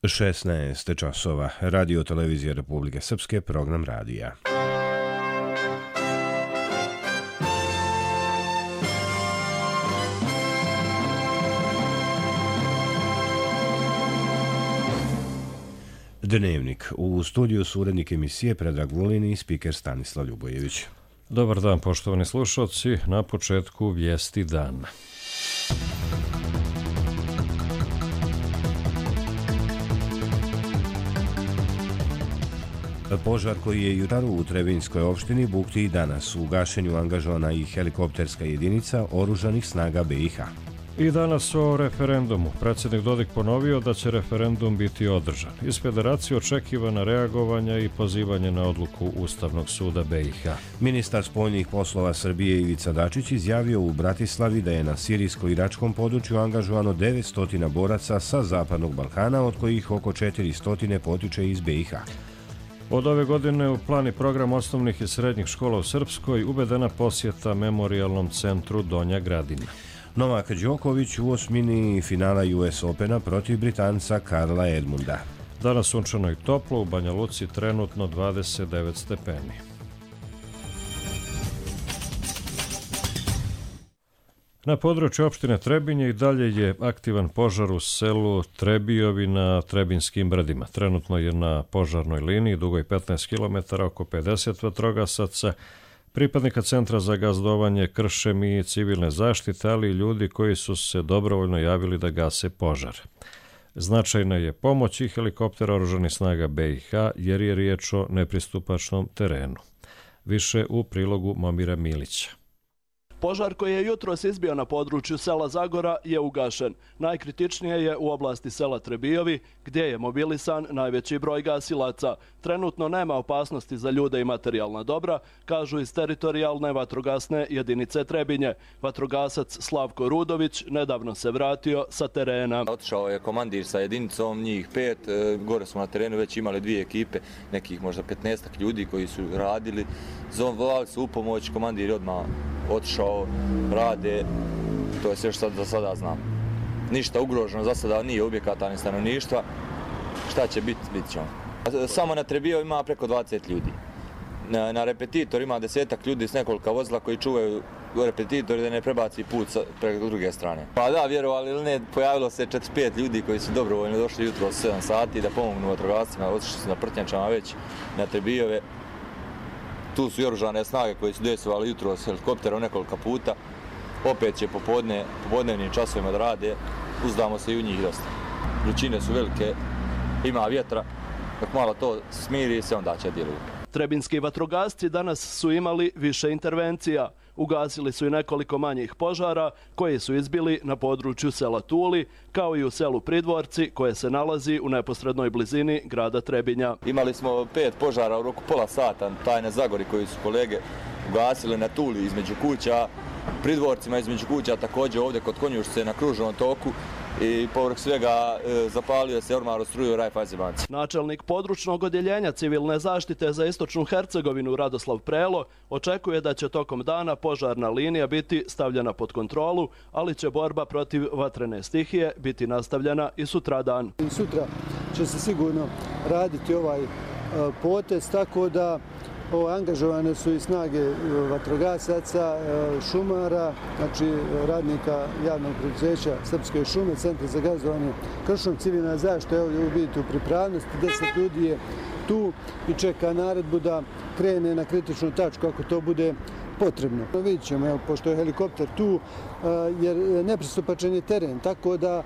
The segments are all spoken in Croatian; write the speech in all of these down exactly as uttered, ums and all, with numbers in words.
šesnaest časova. Radio Televizija Republike Srpske, program radija. Dnevnik. U studiju su urednik emisije Predrag Vulin i spiker Stanislav Ljubojević. Dobar dan, poštovani slušalci. Na početku vijesti dana. Požar koji je jutar u Trebinjskoj opštini bukti i danas. U gašenju angažovana i helikopterska jedinica oružanih snaga B i H. I danas o referendumu. Predsjednik Dodik ponovio da će referendum biti održan. Iz federacije očekivana reagovanja i pozivanje na odluku Ustavnog suda B i H. Ministar spoljnih poslova Srbije Ivica Dačić izjavio u Bratislavi da je na sirijsko-iračkom području angažovano devetsto boraca sa Zapadnog Balkana, od kojih oko četiristo potiče iz B i H. Od ove godine u plan i program osnovnih i srednjih škola u Srpskoj uvedena posjeta Memorijalnom centru Donja Gradina. Novak Đoković u osmini finala U S Opena protiv Britanca Karla Edmunda. Danas sunčano i toplo, u Banja Luci trenutno dvadeset devet stepeni. Na području opštine Trebinje i dalje je aktivan požar u selu Trebijovi na Trebinskim brdima. Trenutno je na požarnoj liniji dugoj petnaest kilometara oko pedeset vatrogasaca, pripadnika Centra za gazdovanje, kršem i civilne zaštite, ali i ljudi koji su se dobrovoljno javili da gase požar. Značajna je pomoć i helikoptera oružanih snaga B i H jer je riječ o nepristupačnom terenu. Više u prilogu Momira Milića. Požar koji je jutros izbio na području sela Zagora je ugašen. Najkritičnije je u oblasti sela Trebijovi, gdje je mobilisan najveći broj gasilaca. Trenutno nema opasnosti za ljude i materijalna dobra, kažu iz teritorijalne vatrogasne jedinice Trebinje. Vatrogasac Slavko Rudović nedavno se vratio sa terena. Otišao je komandir sa jedinicom, njih pet. Gore smo na terenu već imali dvije ekipe, nekih možda petnaestak ljudi koji su radili. Zvali su u pomoć, komandir je odmah otišao, rade, to je sve što za sada znam. Ništa ugroženo za sada nije objekata ni stanovništva. Šta će biti, bit ćemo. Samo na Trebio ima preko dvadeset ljudi. Na, na repetitor ima desetak ljudi s nekolika vozila koji čuvaju repetitor da ne prebaci put sa, preko druge strane. Pa da, vjerovali ili ne, pojavilo se četrdeset pet ljudi koji su dobrovoljno došli jutro od sedam sati da pomognu vatrogascima, otišli su na Prtnjačama već na Trebijove. Tu su i oružane snage koji su dejstvovali jutro s helikopterom nekoliko puta. Opet će popodne, popodnevnim časovima da rade, uzdamo se i u njih dosta. Vrućine su velike, ima vjetra, dok malo to smiri se onda će djeluju. Trebinski vatrogasci danas su imali više intervencija. Ugasili su i nekoliko manjih požara koji su izbili na području sela Tuli, kao i u selu Pridvorci koje se nalazi u neposrednoj blizini grada Trebinja. Imali smo pet požara u roku pola sata, tajne Zagori koji su kolege ugasili na Tuli između kuća, Pridvorcima između kuća, također ovdje kod Konjušce na kružnom toku. I povrh svega e, zapalio se ormar od struje u Raiffeisenbanci. Načelnik područnog odjeljenja civilne zaštite za istočnu Hercegovinu Radoslav Prelo očekuje da će tokom dana požarna linija biti stavljena pod kontrolu, ali će borba protiv vatrene stihije biti nastavljena i sutradan. Sutra će se sigurno raditi ovaj potez, tako da O, angažovane su i snage vatrogasaca, šumara, znači radnika javnog preduzeća Srpske šume, Centra za gazdovanje, kršom, civilna zaštita, evo vidite u pripravnosti, deset ljudi je tu i čeka naredbu da krene na kritičnu tačku ako to bude potrebno. Vidjet ćemo, evo, pošto je helikopter tu, jer nepristupačan je teren, tako da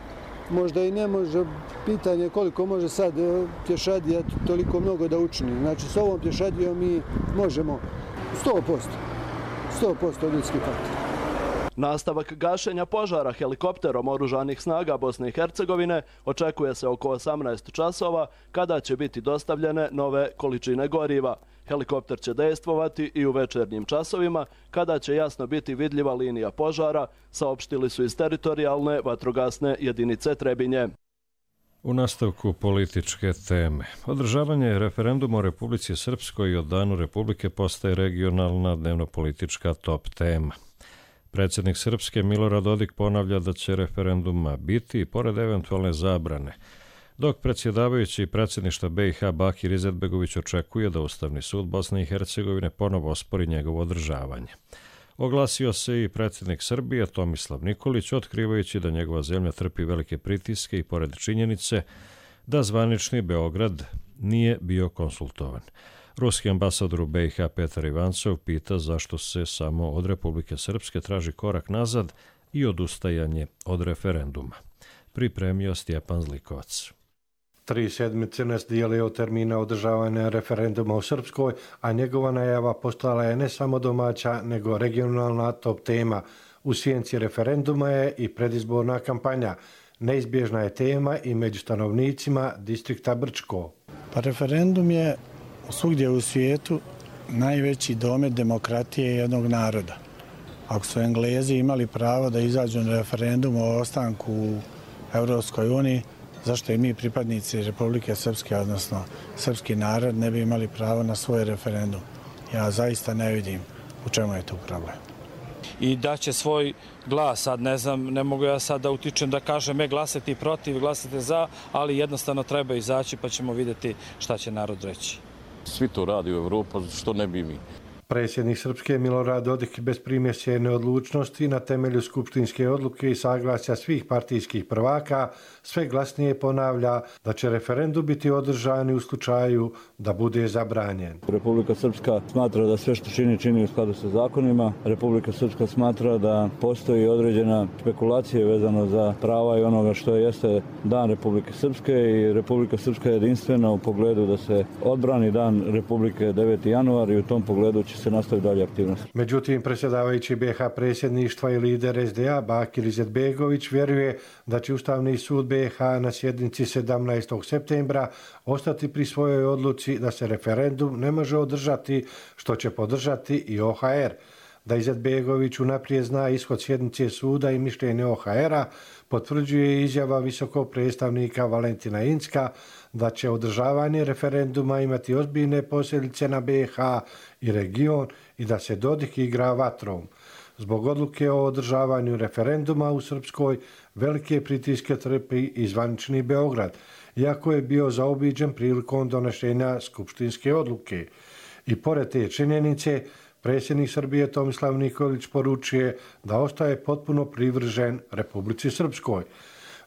možda i ne može, pitanje koliko može sad pješadija toliko mnogo da učini. Znači s ovom pješadijom mi možemo sto posto, sto posto ljudski faktor. Nastavak gašenja požara helikopterom oružanih snaga Bosne i Hercegovine očekuje se oko osamnaest časova kada će biti dostavljene nove količine goriva. Helikopter će dejstvovati i u večernjim časovima kada će jasno biti vidljiva linija požara, saopštili su iz teritorijalne vatrogasne jedinice Trebinje. U nastavku političke teme. Održavanje referenduma u Republici Srpskoj i o Danu Republike postaje regionalna dnevno-politička top tema. Predsjednik Srpske Milorad Dodik ponavlja da će referenduma biti i pored eventualne zabrane dok predsjedavajući predsjedništva B i H Bakir Izetbegović očekuje da Ustavni sud Bosne i Hercegovine ponovo ospori njegovo održavanje. Oglasio se i predsjednik Srbije Tomislav Nikolić, otkrivajući da njegova zemlja trpi velike pritiske i pored činjenice da zvanični Beograd nije bio konsultovan. Ruski ambasador u B i H Petar Ivancov pita zašto se samo od Republike Srpske traži korak nazad i odustajanje od referenduma. Pripremio Stjepan Zlikovac. Tri sedmice nas dijeli od termina održavanja referenduma u Srpskoj, a njegova najava postala je ne samo domaća, nego regionalna top tema. U sjenci referenduma je i predizborna kampanja. Neizbježna je tema i među stanovnicima distrikta Brčko. Pa referendum je svugdje u svijetu najveći domet demokratije jednog naroda. Ako su Englezi imali pravo da izađu na referendum o ostanku u Europskoj uniji, zašto i mi pripadnici Republike Srpske, odnosno srpski narod, ne bi imali pravo na svoj referendum? Ja zaista ne vidim u čemu je tu problem. I da će svoj glas, sad ne znam, ne mogu ja sad da utičem da kažem e, glasati protiv, glasate za, ali jednostavno treba izaći pa ćemo vidjeti šta će narod reći. Svi to radi u Evropi, što ne bi mi. Predsjednik Srpske Milorad Dodik bez primjesje neodlučnosti na temelju skupštinske odluke i saglasja svih partijskih prvaka sve glasnije ponavlja da će referendum biti održan u slučaju da bude zabranjen. Republika Srpska smatra da sve što čini, čini u skladu sa zakonima. Republika Srpska smatra da postoji određena spekulacija vezano za prava i onoga što jeste dan Republike Srpske i Republika Srpska je jedinstvena u pogledu da se odbrani dan Republike deveti januar i u tom pogledu će se nastavi dalje aktivnost. Međutim, predsjedavajući B i H predsjedništva i lider S D A Bakir Izetbegović vjeruje da će Ustavni sud B i H na sjednici sedamnaestog septembra ostati pri svojoj odluci da se referendum ne može održati, što će podržati i O H R. Da Izetbegović unaprijed zna ishod sjednice suda i mišljenje O H R-a, potvrđuje izjava visokog predstavnika Valentina Incka da će održavanje referenduma imati ozbiljne posljedice na B i H i region i da se Dodik igra vatrom. Zbog odluke o održavanju referenduma u Srpskoj velike pritiske trpi i zvanični Beograd, iako je bio zaobiđen prilikom donošenja skupštinske odluke. I pored te činjenice, predsjednik Srbije Tomislav Nikolić poručuje da ostaje potpuno privržen Republici Srpskoj.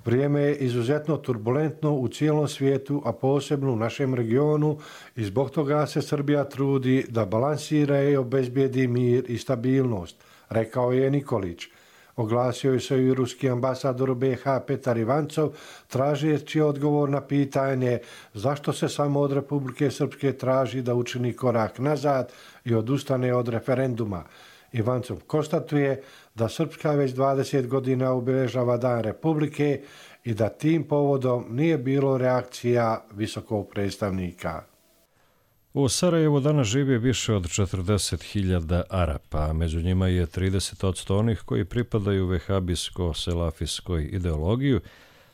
Vrijeme je izuzetno turbulentno u cijelom svijetu, a posebno u našem regionu i zbog toga se Srbija trudi da balansira i obezbijedi mir i stabilnost, rekao je Nikolić. Oglasio je se i ruski ambasador u B i H Petar Ivancov, tražeći odgovor na pitanje zašto se samo od Republike Srpske traži da učini korak nazad i odustane od referenduma. Ivancov konstatuje da Srpska već dvadeset godina obilježava Dan Republike i da tim povodom nije bilo reakcija visokog predstavnika. U Sarajevu danas živi više od četrdeset hiljada Arapa, a među njima je trideset posto onih koji pripadaju vehabijsko-selafijskoj ideologiju,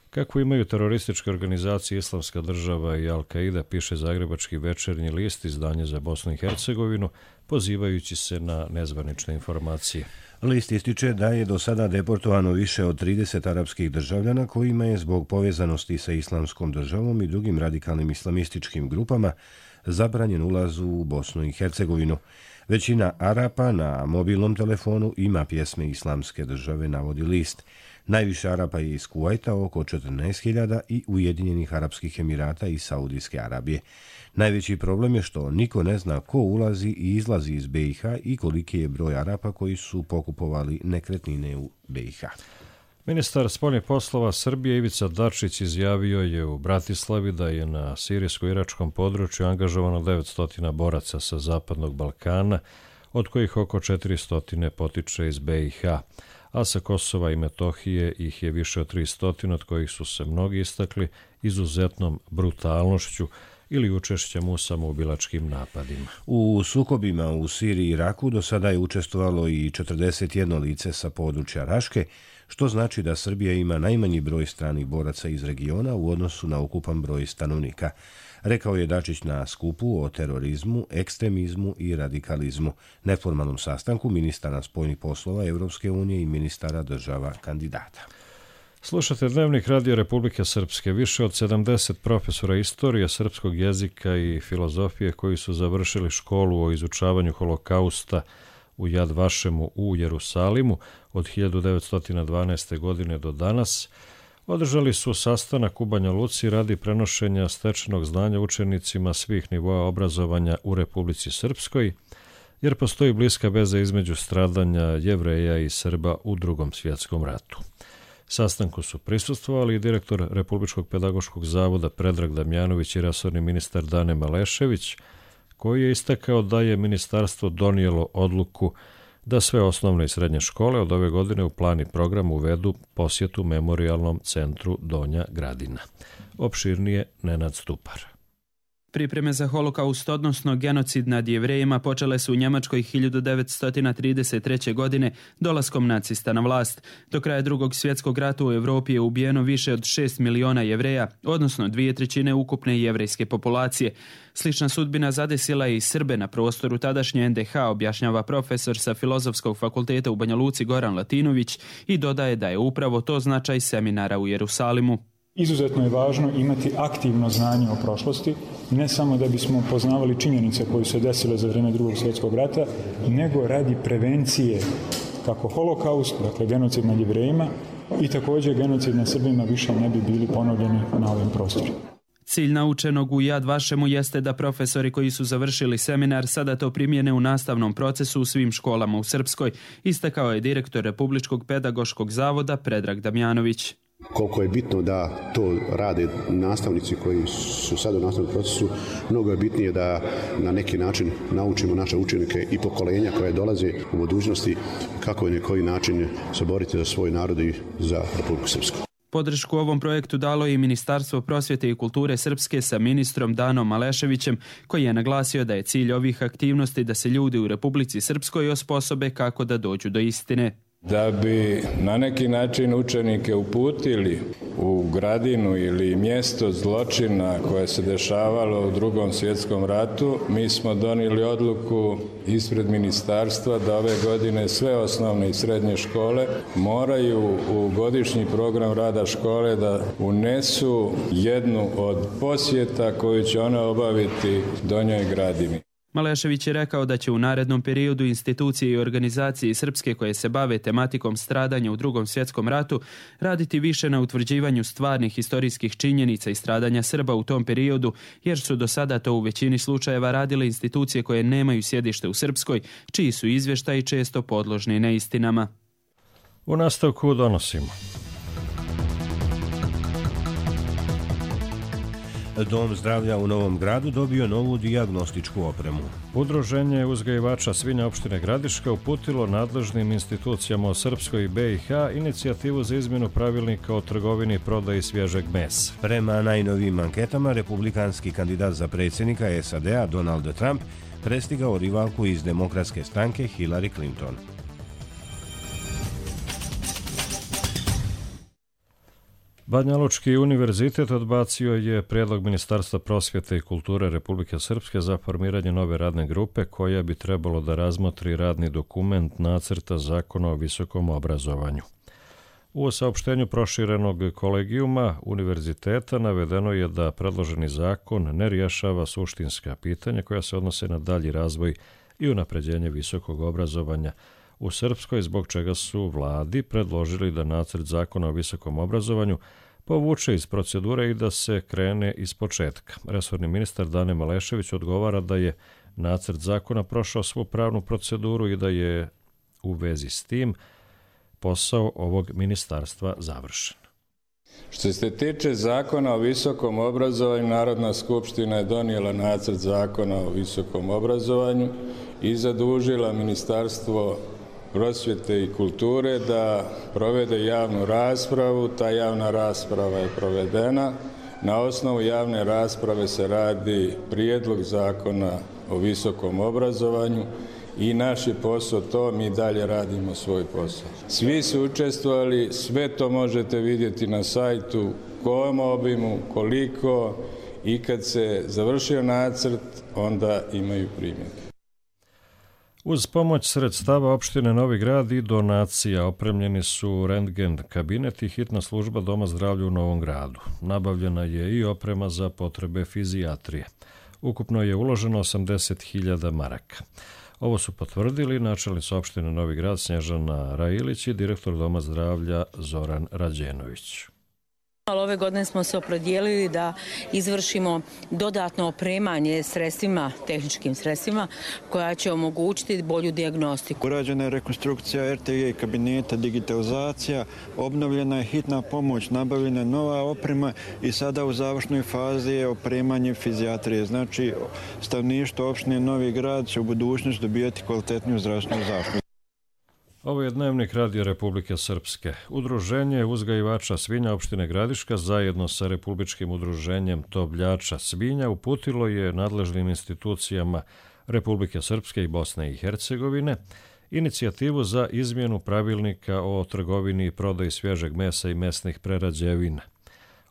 kako imaju terorističke organizacije Islamska država i Al-Qaida, piše Zagrebački večernji list, izdanje za Bosnu i Hercegovinu, pozivajući se na nezvanične informacije. List ističe da je do sada deportovano više od trideset arapskih državljana kojima je zbog povezanosti sa Islamskom državom i drugim radikalnim islamističkim grupama zabranjen ulaz u Bosnu i Hercegovinu. Većina Arapa na mobilnom telefonu ima pjesme Islamske države, navodi list. Najviše Arapa je iz Kuvajta, oko četrnaest hiljada, i Ujedinjenih Arapskih Emirata i Saudijske Arabije. Najveći problem je što niko ne zna ko ulazi i izlazi iz B i H i koliki je broj Arapa koji su pokupovali nekretnine u B i H. Ministar spoljnih poslova Srbije Ivica Dačić izjavio je u Bratislavi da je na sirijsko-iračkom području angažovano devetsto boraca sa Zapadnog Balkana, od kojih oko četiristo potiče iz B i H, a sa Kosova i Metohije ih je više od tristo, od kojih su se mnogi istakli izuzetnom brutalnošću ili učešćem u samoubilačkim napadima. U sukobima u Siriji i Iraku do sada je učestvovalo i četrdeset jedno lice sa područja Raške, što znači da Srbija ima najmanji broj stranih boraca iz regiona u odnosu na ukupan broj stanovnika, rekao je Dačić na skupu o terorizmu, ekstremizmu i radikalizmu, neformalnom sastanku ministara spoljnih poslova Evropske unije i ministara država kandidata. Slušate Dnevnik Radio Republike Srpske. Više od sedamdeset profesora istorije, srpskog jezika i filozofije koji su završili školu o izučavanju holokausta u Jad Vašemu u Jerusalimu od hiljadu devetsto dvanaeste. godine do danas, održali su sastanak u Banja Luci radi prenošenja stečenog znanja učenicima svih nivoa obrazovanja u Republici Srpskoj, jer postoji bliska veza između stradanja Jevreja i Srba u Drugom svjetskom ratu. Sastanku su prisustvovali i direktor Republičkog pedagoškog zavoda Predrag Damjanović i resorni ministar Dane Malešević, koji je istakao da je ministarstvo donijelo odluku da sve osnovne i srednje škole od ove godine u plan i program uvedu posjetu Memorijalnom centru Donja Gradina. Opširnije Nenad Stupar. Pripreme za holokaust, odnosno genocid nad Jevrejima, počele su u Njemačkoj hiljadu devetsto trideset treće. godine dolaskom nacista na vlast. Do kraja Drugog svjetskog rata u Evropi je ubijeno više od šest miliona Jevreja, odnosno dvije trećine ukupne jevrejske populacije. Slična sudbina zadesila je i Srbe na prostoru tadašnje en de ha, objašnjava profesor sa Filozofskog fakulteta u Banja Luci Goran Latinović i dodaje da je upravo to značaj seminara u Jerusalimu. Izuzetno je važno imati aktivno znanje o prošlosti, ne samo da bismo poznavali činjenice koje su desile za vrijeme Drugog svjetskog rata, nego radi prevencije kako holokaust, dakle genocid nad Jevrejima, i također genocid nad Srbima više ne bi bili ponovljeni na ovim prostorima. Cilj naučenog u Jad Vašemu jeste da profesori koji su završili seminar sada to primjene u nastavnom procesu u svim školama u Srpskoj, istakao je direktor Republičkog pedagoškog zavoda Predrag Damjanović. Koliko je bitno da to rade nastavnici koji su sada u nastavnom procesu, mnogo je bitnije da na neki način naučimo naše učenike i pokolenja koje dolaze u budućnosti kako i na koji način se boriti za svoj narod i za Republiku Srpsku. Podršku ovom projektu dalo je i Ministarstvo prosvjete i kulture Srpske sa ministrom Danom Maleševićem, koji je naglasio da je cilj ovih aktivnosti da se ljudi u Republici Srpskoj osposobe kako da dođu do istine. Da bi na neki način učenike uputili u Gradinu ili mjesto zločina koje se dešavalo u Drugom svjetskom ratu, mi smo donijeli odluku ispred ministarstva da ove godine sve osnovne i srednje škole moraju u godišnji program rada škole da unesu jednu od posjeta koju će one obaviti Donjoj Gradini. Malešević je rekao da će u narednom periodu institucije i organizacije Srpske koje se bave tematikom stradanja u Drugom svjetskom ratu raditi više na utvrđivanju stvarnih historijskih činjenica i stradanja Srba u tom periodu, jer su do sada to u većini slučajeva radile institucije koje nemaju sjedište u Srpskoj, čiji su izvještaji često podložni neistinama. U nastavku donosimo. Dom zdravlja u Novom Gradu dobio novu dijagnostičku opremu. Udruženje uzgajivača svinja opštine Gradiška uputilo nadležnim institucijama u Srpskoj i be i ha inicijativu za izmjenu pravilnika o trgovini i prodaji svježeg mesa. Prema najnovijim anketama, republikanski kandidat za predsjednika es a de a Donald Trump prestigao rivalku iz demokratske stranke Hillary Clinton. Banjalučki univerzitet odbacio je prijedlog Ministarstva prosvjete i kulture Republike Srpske za formiranje nove radne grupe koja bi trebalo da razmotri radni dokument nacrta zakona o visokom obrazovanju. U saopštenju proširenog kolegijuma univerziteta navedeno je da predloženi zakon ne rješava suštinska pitanja koja se odnose na dalji razvoj i unapređenje visokog obrazovanja u Srpskoj, zbog čega su vladi predložili da nacrt zakona o visokom obrazovanju povuče iz procedure i da se krene iz početka. Resorni ministar Dane Malešević odgovara da je nacrt zakona prošao svu pravnu proceduru i da je u vezi s tim posao ovog ministarstva završen. Što se tiče zakona o visokom obrazovanju, Narodna skupština je donijela nacrt zakona o visokom obrazovanju i zadužila Ministarstvo prosvjete i kulture da provede javnu raspravu. Ta javna rasprava je provedena. Na osnovu javne rasprave se radi prijedlog zakona o visokom obrazovanju i naš je posao to, mi dalje radimo svoj posao. Svi su učestvovali, sve to možete vidjeti na sajtu, kojem obimu, koliko, i kad se završio nacrt, onda imaju primjedbe. Uz pomoć sredstava opštine Novi Grad i donacija opremljeni su rentgen kabinet i hitna služba Doma zdravlja u Novom Gradu. Nabavljena je i oprema za potrebe fizijatrije. Ukupno je uloženo osamdeset hiljada maraka. Ovo su potvrdili načelnica opštine Novi Grad Snježana Railić i direktor Doma zdravlja Zoran Rađenović. Ove godine smo se opredijelili da izvršimo dodatno opremanje sredstvima, tehničkim sredstvima, koja će omogućiti bolju dijagnostiku. Urađena je rekonstrukcija er te ge kabineta, digitalizacija, obnovljena je hitna pomoć, nabavljena je nova oprema i sada u završnoj fazi je opremanje fizijatrije. Znači, stanovništvo opštine Novi Grad će u budućnosti dobijati kvalitetniju zdravstvenu zaštitu. Ovo je Dnevnik Radio Republike Srpske. Udruženje uzgajivača svinja opštine Gradiška zajedno sa Republičkim udruženjem tovljača svinja uputilo je nadležnim institucijama Republike Srpske i Bosne i Hercegovine inicijativu za izmjenu pravilnika o trgovini i prodaji svježeg mesa i mesnih prerađevina.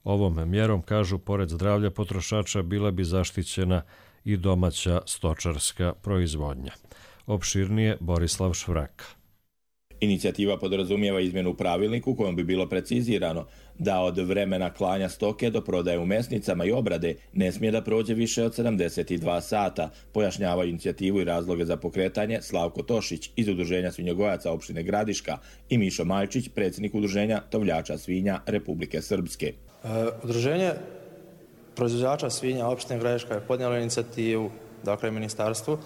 Ovom mjerom, kažu, pored zdravlja potrošača bila bi zaštićena i domaća stočarska proizvodnja. Opširnije Borislav Švraka. Inicijativa podrazumijeva izmjenu u pravilniku kojom bi bilo precizirano da od vremena klanja stoke do prodaje u mesnicama i obrade ne smije da prođe više od sedamdeset dva sata, pojašnjavaju inicijativu i razloge za pokretanje Slavko Tošić iz Udruženja svinjogojaca opštine Gradiška i Mišo Majčić, predsjednik Udruženja tovljača svinja Republike Srpske. E, Udruženje proizvođača svinja opštine Gradiška je podnijelo inicijativu, dakle ministarstvu,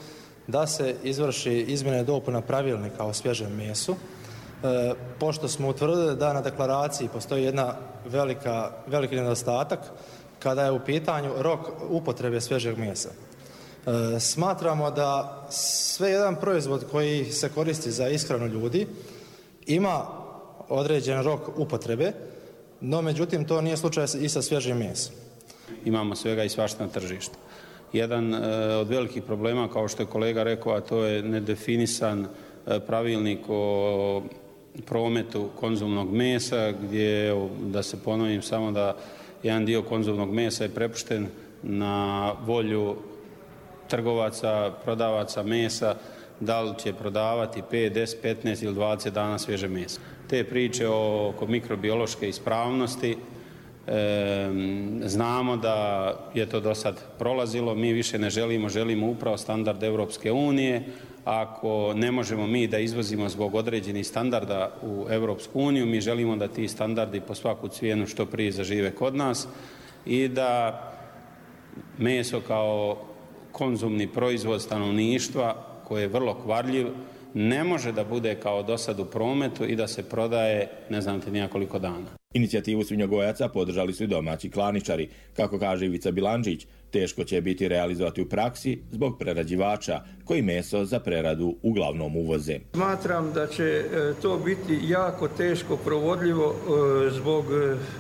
da se izvrši izmjene i dopuna pravilnika o svježem mesu, e, pošto smo utvrdili da na deklaraciji postoji jedna velika, veliki nedostatak kada je u pitanju rok upotrebe svježeg mesa. E, smatramo da sve jedan proizvod koji se koristi za ishranu ljudi ima određen rok upotrebe, no međutim to nije slučaj i sa svježim mesom. Imamo svega i svašta na tržištu. Jedan e, od velikih problema, kao što je kolega rekao, a to je nedefinisan e, pravilnik o prometu konzumnog mesa, gdje, da se ponovim samo da jedan dio konzumnog mesa je prepušten na volju trgovaca, prodavaca mesa, da li će prodavati pet, deset, petnaest ili dvadeset dana svježe mesa. Te priče oko mikrobiološke ispravnosti, E, znamo da je to do sad prolazilo, mi više ne želimo, želimo upravo standard Evropske unije. Ako ne možemo mi da izvozimo zbog određenih standarda u Evropsku uniju, mi želimo da ti standardi po svaku cijenu što prije zažive kod nas i da meso kao konzumni proizvod stanovništva, koji je vrlo kvarljiv, ne može da bude kao do sad u prometu i da se prodaje ne znam te nijakoliko dana. Inicijativu svinjogojaca podržali su i domaći klaničari. Kako kaže Ivica Bilandžić, teško će biti realizovati u praksi zbog prerađivača koji meso za preradu uglavnom uvoze. Smatram da će to biti jako teško provodljivo zbog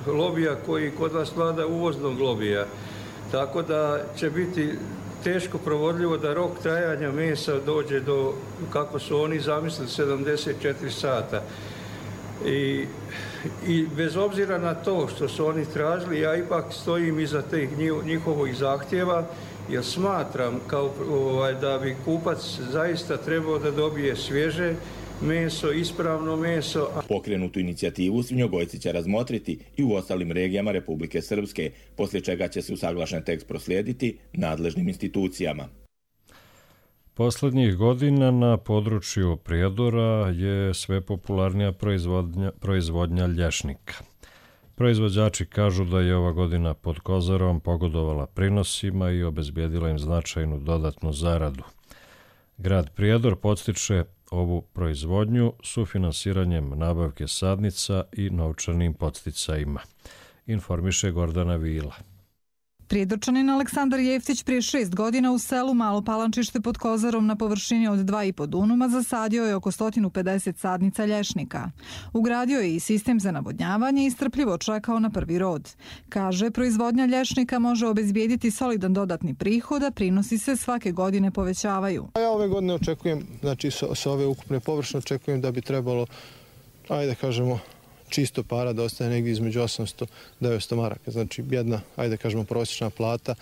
lobija koji kod vas vlada, uvoznog lobija. Tako da će biti teško provodljivo da rok trajanja mesa dođe do, kako su oni zamislili, sedamdeset četiri sata. I, i bez obzira na to što su oni tražili, ja ipak stojim iza tih njihovih zahtjeva, jer smatram kao, ovaj, da bi kupac zaista trebao da dobije svježe meso, ispravno meso. Pokrenutu inicijativu svinjogojci će razmotriti i u ostalim regijama Republike Srpske, poslije čega će se usaglašen tekst proslijediti nadležnim institucijama. Posljednjih godina na području Prijedora je sve popularnija proizvodnja, proizvodnja lješnika. Proizvođači kažu da je ova godina pod Kozarom pogodovala prinosima i obezbijedila im značajnu dodatnu zaradu. Grad Prijedor podstiče ovu proizvodnju sufinansiranjem nabavke sadnica i novčanim podsticajima, informiše Gordana Vila. Prijedorčanin Aleksandar Jeftić prije šest godina u selu Malo Palančište pod Kozarom na površini od dva i po dunuma zasadio je oko sto pedeset sadnica lješnika. Ugradio je i sistem za navodnjavanje i strpljivo čekao na prvi rod. Kaže, proizvodnja lješnika može obezbijediti solidan dodatni prihod, a prinosi se svake godine povećavaju. Ja ove godine očekujem, znači sa ove ukupne površine očekujem da bi trebalo, ajde kažemo, čisto para da ostane negdje između osamsto do devetsto maraka. Znači jedna, ajde kažemo, prosječna plata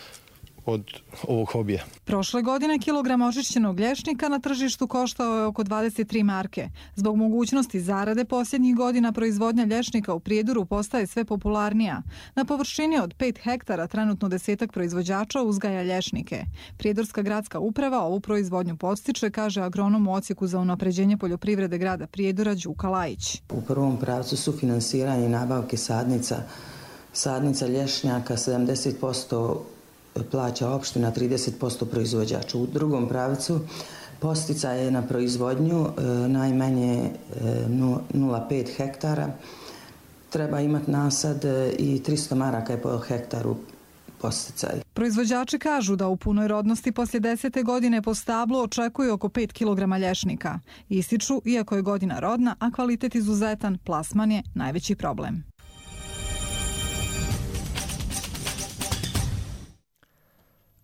od ovog hobija. Prošle godine kilogram očišćenog lješnika na tržištu koštao je oko dvadeset tri marke. Zbog mogućnosti zarade posljednjih godina proizvodnja lješnika u Prijedoru postaje sve popularnija. Na površini od pet hektara trenutno desetak proizvođača uzgaja lješnike. Prijedorska gradska uprava ovu proizvodnju podstiče, kaže agronom u odsjeku za unapređenje poljoprivrede grada Prijedora Đuka Lajić. U prvom pravcu su finansiranje nabavke sadnica, sadnica lješnjaka sedamdeset posto plaća opština, trideset posto proizvođača. U drugom pravcu posticaj je na proizvodnju najmanje nula zarez pet hektara. Treba imati nasad i tristo maraka je po hektaru posticaj. Proizvođači kažu da u punoj rodnosti poslije desete godine po stablu očekuju oko pet kilograma lješnika. Ističu, iako je godina rodna, a kvalitet izuzetan, plasman je najveći problem.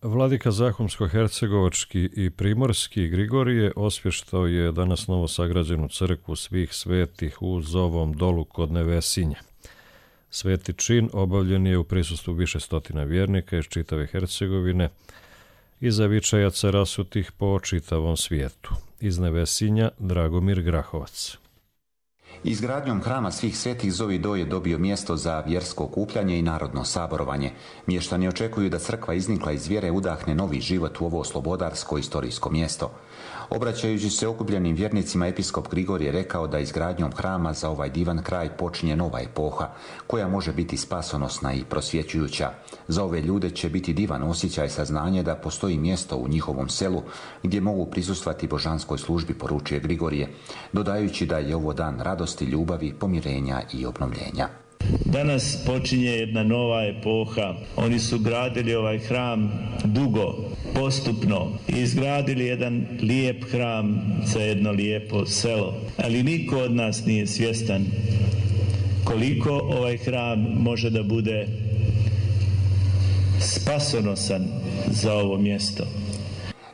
Vladika Zahumsko-hercegovački i Primorski Grigorije osvještao je danas novo sagrađenu crkvu svih svetih u Zovom dolu kod Nevesinja. Sveti čin obavljen je u prisustvu više stotina vjernika iz čitave Hercegovine i zavičajaca rasutih po čitavom svijetu. Iz Nevesinja Dragomir Grahovac. Izgradnjom hrama svih svetih Zovi do je dobio mjesto za vjersko okupljanje i narodno saborovanje. Mještani očekuju da crkva iznikla iz vjere udahne novi život u ovo slobodarsko istorijsko mjesto. Obraćajući se okupljenim vjernicima, episkop Grigorije rekao da izgradnjom hrama za ovaj divan kraj počinje nova epoha, koja može biti spasonosna i prosvjećujuća. Za ove ljude će biti divan osjećaj saznanje da postoji mjesto u njihovom selu gdje mogu prisustvati božanskoj službi, poručuje Grigorije, dodajući da je ovo dan radosti, ljubavi, pomirenja i obnovljenja. Danas počinje jedna nova epoha. Oni su gradili ovaj hram dugo, postupno i izgradili jedan lijep hram za jedno lijepo selo. Ali niko od nas nije svjestan koliko ovaj hram može da bude spasonosan za ovo mjesto.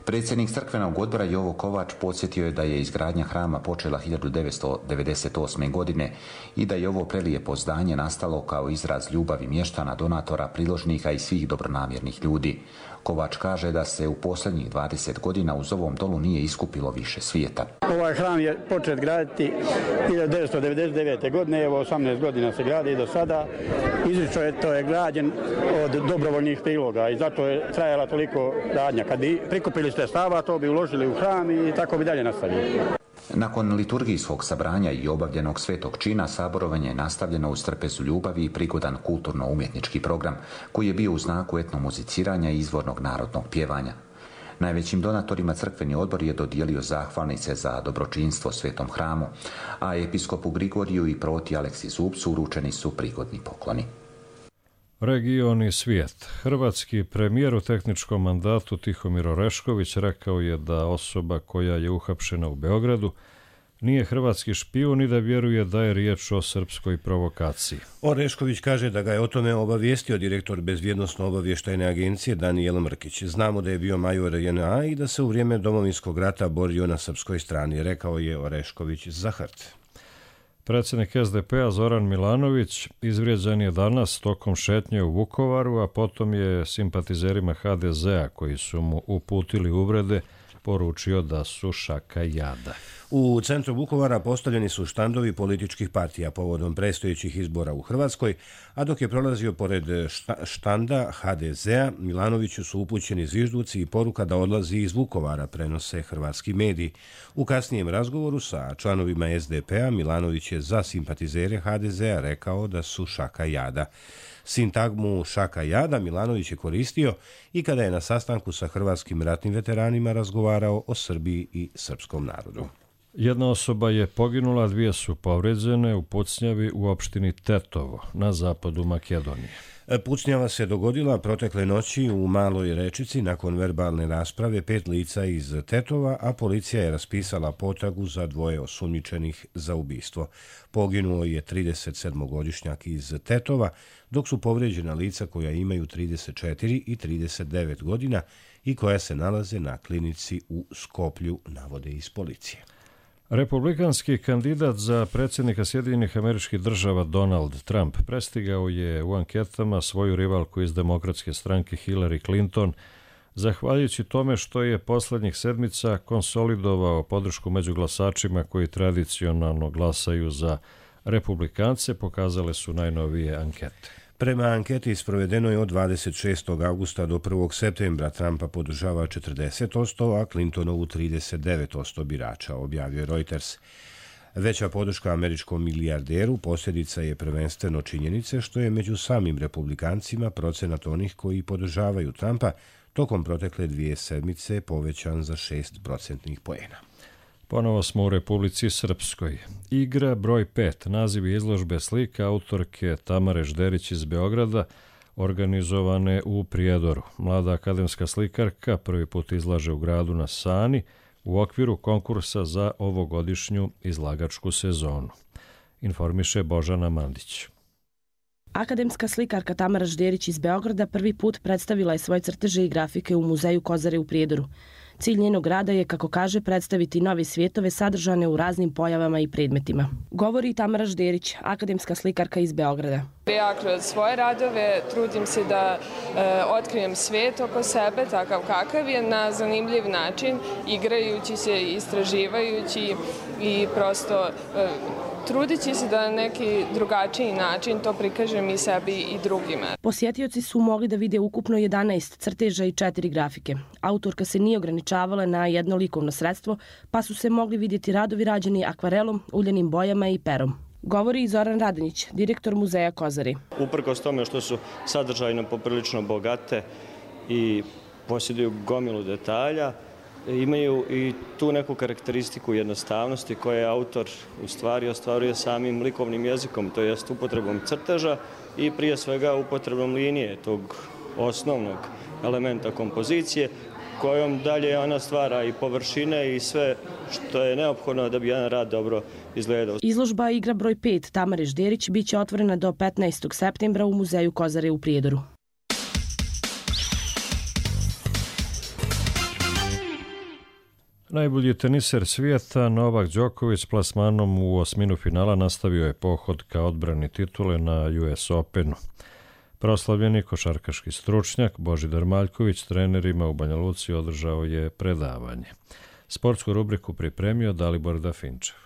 Predsjednik crkvenog odbora Jovo Kovač podsjetio je da je izgradnja hrama počela hiljadu devetsto devedeset osme. godine i da je ovo prelijepo zdanje nastalo kao izraz ljubavi mještana, donatora, priložnika i svih dobronamjernih ljudi. Kovač kaže da se u posljednjih dvadeset godina uz ovom dolu nije iskupilo više svijeta. Ovaj hram je počet graditi hiljadu devetsto devedeset devete. godine, evo osamnaest godina se gradi do sada. Izričito je to je građen od dobrovoljnih priloga i zato je trajala toliko radnja. Kad bi prikupili sredstava, to bi uložili u hram i tako bi dalje nastavili. Nakon liturgijskog sabranja i obavljenog svetog čina, saborovanje je nastavljeno uz trpezu ljubavi i prigodan kulturno-umjetnički program, koji je bio u znaku etnomuziciranja i izvornog narodnog pjevanja. Najvećim donatorima crkveni odbor je dodijelio zahvalnice za dobročinstvo svetom hramu, a episkopu Grigoriju i proti Aleksi Zupcu uručeni su prigodni pokloni. Region i svijet. Hrvatski premijer u tehničkom mandatu Tihomir Orešković rekao je da osoba koja je uhapšena u Beogradu nije hrvatski špijun i da vjeruje da je riječ o srpskoj provokaciji. Orešković kaže da ga je o tome obavijestio direktor Bezbjednosno-obavještajne agencije Danijel Mrkić. Znamo da je bio major J N A i da se u vrijeme Domovinskog rata borio na srpskoj strani, rekao je Orešković za Hrt. Predsjednik S D P-a Zoran Milanović izvrijeđan je danas tokom šetnje u Vukovaru, a potom je simpatizerima H D Z-a koji su mu uputili uvrede poručio da su šaka jada. U centru Vukovara postavljeni su štandovi političkih partija povodom predstojećih izbora u Hrvatskoj, a dok je prolazio pored štanda H D Z-a, Milanoviću su upućeni zvižduci i poruka da odlazi iz Vukovara, prenose hrvatski mediji. U kasnijem razgovoru sa članovima S D P-a Milanović je za simpatizere H D Z-a rekao da su šaka jada. Sintagmu šaka jada Milanović je koristio i kada je na sastanku sa hrvatskim ratnim veteranima razgovarao o Srbiji i srpskom narodu. Jedna osoba je poginula, dvije su povređene u pucnjavi u opštini Tetovo na zapadu Makedonije. Pucnjava se dogodila protekle noći u Maloj Rečici nakon verbalne rasprave pet lica iz Tetova, a policija je raspisala potragu za dvoje osumnjičenih za ubistvo. Poginuo je tridesetsedmogodišnjak iz Tetova, dok su povrijeđena lica koja imaju trideset četiri i trideset devet godina i koja se nalaze na klinici u Skoplju, navode iz policije. Republikanski kandidat za predsjednika Sjedinjenih Američkih Država Donald Trump prestigao je u anketama svoju rivalku iz demokratske stranke Hillary Clinton zahvaljujući tome što je poslednjih sedmica konsolidovao podršku među glasačima koji tradicionalno glasaju za republikance, pokazale su najnovije ankete. Prema anketi sprovedenoj od dvadeset šestog avgusta do prvog septembra Trumpa podržava četrdeset posto, a Clintonovu trideset devet posto birača, objavio je Reuters. Veća podrška američkom milijarderu posljedica je prvenstveno činjenice što je među samim republikancima procenat onih koji podržavaju Trumpa tokom protekle dvije sedmice povećan za šest procentnih poena. Ponovo smo u Republici Srpskoj. Igra broj pet, naziv izložbe slika autorke Tamare Žderić iz Beograda, organizovane u Prijedoru. Mlada akademska slikarka prvi put izlaže u gradu na Sani u okviru konkursa za ovogodišnju izlagačku sezonu. Informiše Božana Mandić. Akademska slikarka Tamara Žderić iz Beograda prvi put predstavila je svoje crteže i grafike u muzeju Kozare u Prijedoru. Cilj njenog rada je, kako kaže, predstaviti nove svijetove sadržane u raznim pojavama i predmetima. Govori Tamara Žderić, akademska slikarka iz Beograda. Ja kroz svoje radove trudim se da e, otkrijem svijet oko sebe, takav kakav je, na zanimljiv način, igrajući se, istraživajući i prosto e, trudići se da na neki drugačiji način to prikažem i sebi i drugima. Posjetioci su mogli da vide ukupno jedanaest crteža i četiri grafike. Autorka se nije ograničavala na jedno likovno sredstvo, pa su se mogli vidjeti radovi rađeni akvarelom, uljanim bojama i perom. Govori i Zoran Radonjić, direktor muzeja Kozari. Uprkos tome što su sadržajno poprilično bogate i posjeduju gomilu detalja, imaju i tu neku karakteristiku jednostavnosti koje autor u stvari ostvaruje samim likovnim jezikom, to jest upotrebom crteža i prije svega upotrebom linije, tog osnovnog elementa kompozicije, kojom dalje ona stvara i površine i sve što je neophodno da bi jedan rad dobro izgledao. Izložba Igra broj pet Tamare Žderić biće otvorena do petnaestog septembra u muzeju Kozare u Prijedoru. Najbolji teniser svijeta Novak Đoković s plasmanom u osminu finala nastavio je pohod ka odbrani titule na U S Openu. Proslavljeni košarkaški stručnjak Božidar Maljković trenerima u Banja Luci održao je predavanje. Sportsku rubriku pripremio Dalibor Dafinčev.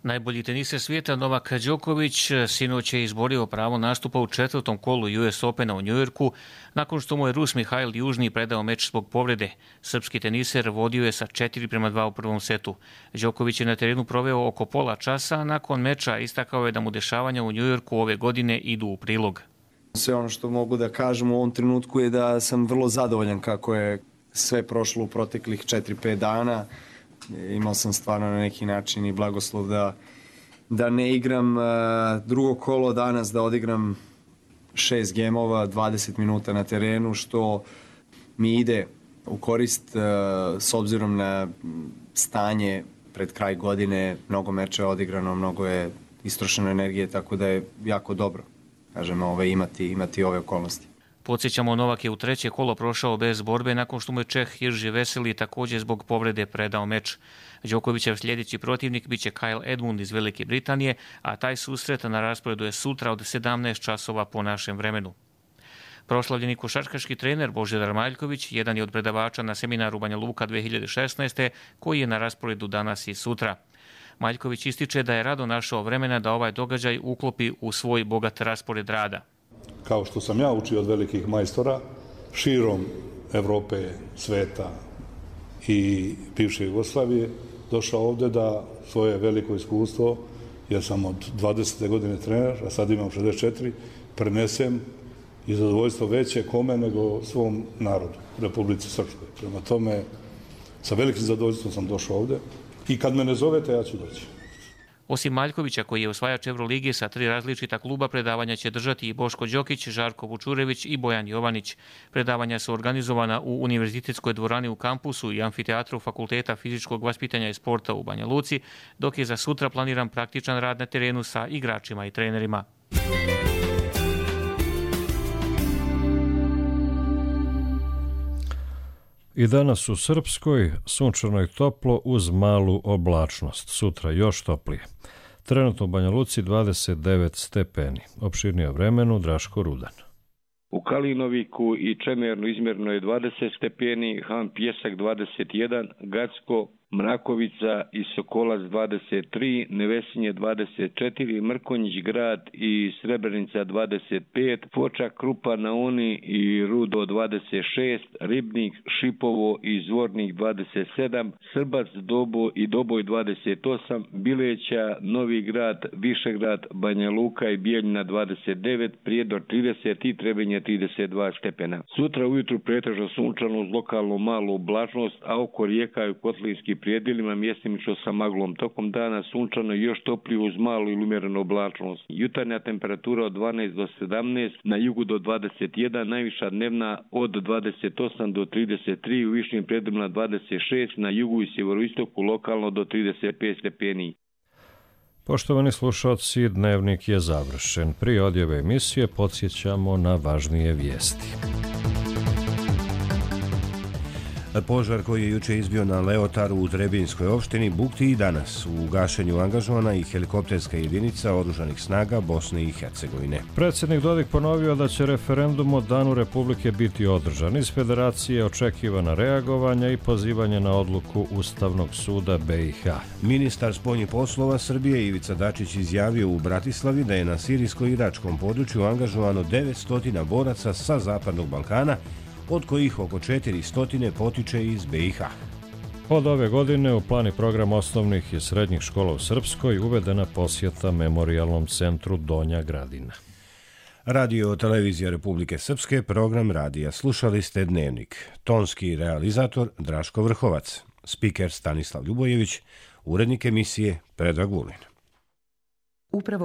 Najbolji teniser svijeta Novak Đoković sinoć je izborio pravo nastupa u četvrtom kolu U S Opena u Njujorku nakon što mu je Rus Mihajl Južni predao meč zbog povrede. Srpski teniser vodio je sa četiri prema dva u prvom setu. Đoković je na terenu proveo oko pola časa, a nakon meča istakao je da mu dešavanja u Njujorku ove godine idu u prilog. Sve ono što mogu da kažem u ovom trenutku je da sam vrlo zadovoljan kako je sve prošlo u proteklih četiri pet dana. Imao sam stvarno na neki način i blagoslov da, da ne igram drugo kolo danas, da odigram šest gemova, dvadeset minuta na terenu, što mi ide u korist s obzirom na stanje pred kraj godine. Mnogo meča je odigrano, mnogo je istrošeno energije, tako da je jako dobro, kažem, ove, imati, imati ove okolnosti. Podsjećamo, Novak je u treće kolo prošao bez borbe nakon što mu je Čeh Jirži Veseli također zbog povrede predao meč. Đokovićev sljedeći protivnik biće Kyle Edmund iz Velike Britanije, a taj susret na rasporedu je sutra od sedamnaest časova po našem vremenu. Proslavljeni košarkaški trener Božidar Maljković jedan je od predavača na seminaru Banja Luka dve hiljade šesnaeste koji je na rasporedu danas i sutra. Maljković ističe da je rado našao vremena da ovaj događaj uklopi u svoj bogat raspored rada. Kao što sam ja učio od velikih majstora širom Evrope, sveta i bivše Jugoslavije, došao ovdje da svoje veliko iskustvo, jer sam od dvadesete godine trener, a sad imam šezdeset četiri, prenesem i zadovoljstvo veće kome nego svom narodu, Republici Srpskoj. Prema tome, sa velikim zadovoljstvom sam došao ovdje i kad me ne zovete, ja ću doći. Osim Maljkovića, koji je osvajač Evrolige sa tri različita kluba, predavanja će držati i Boško Đokić, Žarko Vučurević i Bojan Jovanić. Predavanja su organizovana u Univerzitetskoj dvorani u kampusu i amfiteatru Fakulteta fizičkog vaspitanja i sporta u Banja Luci, dok je za sutra planiran praktičan rad na terenu sa igračima i trenerima. I danas u Srpskoj sunčano i toplo uz malu oblačnost. Sutra još toplije. Trenutno u Banja Luci dvadeset devet stepeni. Opširnije o vremenu Draško Rudan. u Kalinoviku i Čemernu izmjerno je dvadeset stepeni, Han Pjesak dvadeset jedan, Gacko, Mrakovica i Sokolac dvadeset tri, Nevesinje dvadeset četiri, Mrkonjić grad i Srebrenica dvadeset pet, Foča, Krupa na Uni i Rudo dvadeset šest, Ribnik, Šipovo i Zvornik dvadeset sedam, Srbac, Dobo i Doboj dvadeset osam, Bileća, Novi grad, Višegrad, Banja Luka i Bijeljina dvadeset devet, Prijedor trideset i Trebinje trideset dva stepena. Sutra ujutru pretežno sunčano uz lokalnu malu oblačnost, a oko rijeka i kotlinski prijedjelima mjestimično sa maglom. Tokom dana sunčano i još toplije uz malu ili umjerenu oblačnost. Jutarnja temperatura od dvanaest do sedamnaest, na jugu do dvadeset jedan, najviša dnevna od dvadeset osam do trideset tri, u višim predjelima dvadeset šest, na jugu i sjeveroistoku lokalno do trideset pet stepeni. Poštovani slušalci, dnevnik je završen. Prije odjave emisije podsjećamo na važnije vijesti. Požar koji je juče izbio na Leotaru u Trebinjskoj opštini bukti i danas. U gašenju angažovana i helikopterska jedinica oružanih snaga Bosne i Hercegovine. Predsjednik Dodik ponovio da će referendum o Danu Republike biti održan. Iz Federacije očekivana reagovanja i pozivanje na odluku Ustavnog suda B i H. Ministar spoljnih poslova Srbije Ivica Dačić izjavio u Bratislavi da je na sirijsko-iračkom području angažovano devetsto boraca sa Zapadnog Balkana, od kojih oko četiristo potiče iz B i H. Od ove godine u plani program osnovnih i srednjih škola u Srpskoj uvedena posjeta Memorijalnom centru Donja Gradina. Radio Televizija Republike Srpske, program radija. Slušali ste Dnevnik. Tonski realizator Draško Vrhovac, spiker Stanislav Ljubojević, urednik emisije Predrag Vulin. Upravo